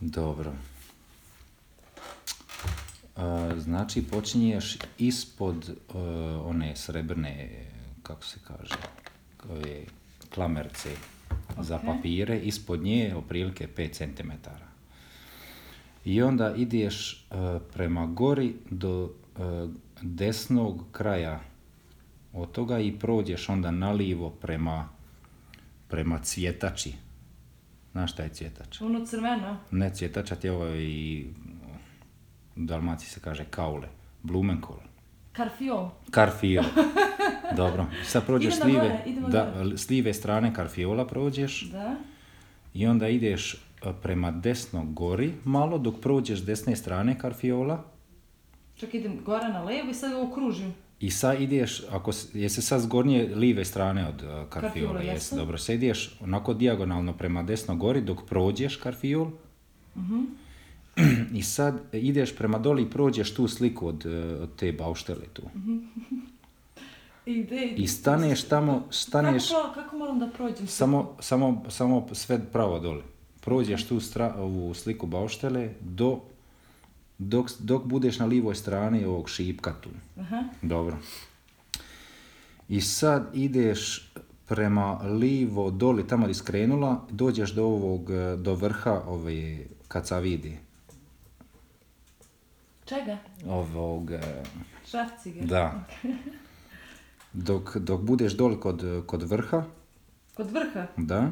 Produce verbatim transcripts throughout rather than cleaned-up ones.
Dobro. Uh, znači počinješ ispod uh, one srebrne, kako se kaže, ove klamerce okay. za papire, ispod nje otprilike pet centimetara. I onda ideš uh, prema gori do uh, desnog kraja od toga i prođeš onda nalivo prema, prema cvjetači. Znaš šta je cvjetač? Ono crveno? Ne, cvjetača ti je ovo i u Dalmaciji se kaže kaule. Blumenkol. Karfiol. Karfiol. Dobro. Sad prođeš idemo slive, gore, idemo da, gore. s live strane Karfiola prođeš. Da. I onda ideš prema desno gori malo dok prođeš desne strane Karfiola. Čak idem gore na levo i sad ovo kružim. I sad ideš, ako jesi sad s gornje live strane od uh, Karfiola, jesi, dobro, sad ideš onako dijagonalno prema desno gori dok prođeš Karfiol. Uh-huh. I sad ideš prema doli i prođeš tu sliku od, od te bauštele tu. Uh-huh. I, de, I staneš tamo, staneš... Kako, kako moram da prođem? Samo, samo, samo sve pravo doli. Prođeš tu stra, ovu sliku bauštele do, dok, dok budeš na livoj strani ovog šipka tu. Aha. Dobro. I sad ideš prema livo doli, tamo gdje skrenula, dođeš do ovog, do vrha ove kacavidi. Čega? Ovog... Šrafciger. Da. Dok, dok budeš doli kod, kod vrha. Kod vrha? Da.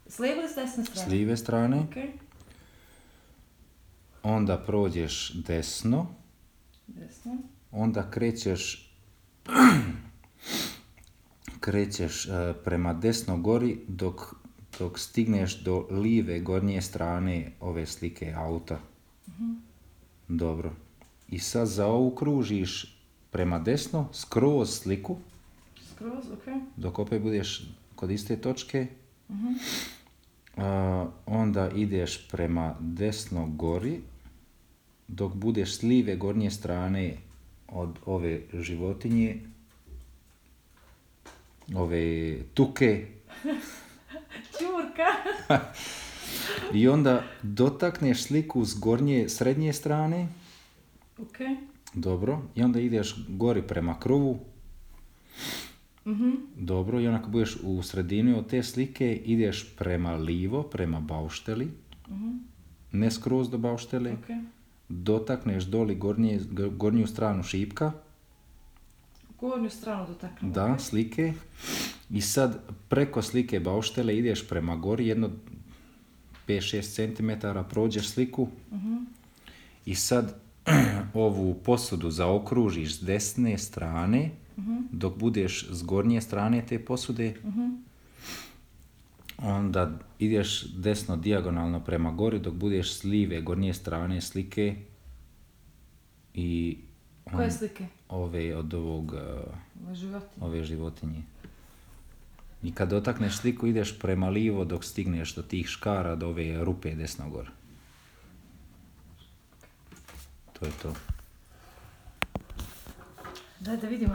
S lijeve ili s desne strane? S lijeve strane. Okay. Onda prođeš desno. Desno. Onda krećeš krećeš uh, prema desno gori dok, dok stigneš do live gornje strane ove slike auta. Uh-huh. Dobro. I sad zaokružiš prema desno, skroz sliku. Skroz, okej. Okay. Dok opet budeš kod iste točke. Uh-huh. Uh, onda ideš prema desno gori, dok budeš s live gornje strane od ove životinje, ove tuke. Čurka. I onda dotakneš sliku s gornje srednje strane. Ok. Dobro. I onda ideš gori prema kruvu. Mm-hmm. Dobro. I onda kad budeš u sredini od te slike, ideš prema livo, prema baušteli. Mm-hmm. Ne skroz do bauštele. Okay. Dotakneš doli gornje, gornju stranu šipka. Gornju stranu dotaknem. Da, okay. Slike. I sad preko slike bauštele ideš prema gori jedno pet do šest centimetara, prođeš sliku. Uh-huh. I sad ovu posudu zaokružiš s desne strane, uh-huh. dok budeš s gornje strane te posude. Uh-huh. Onda ideš desno dijagonalno prema gori dok budeš s live gornje strane slike. I on, koje slike? Ove od ovog, ove životinje. Ove životinje. I kad dotakneš sliku ideš prema livo dok stigneš do tih škara, do ove rupe desno gore. To je to. Daj da vidimo.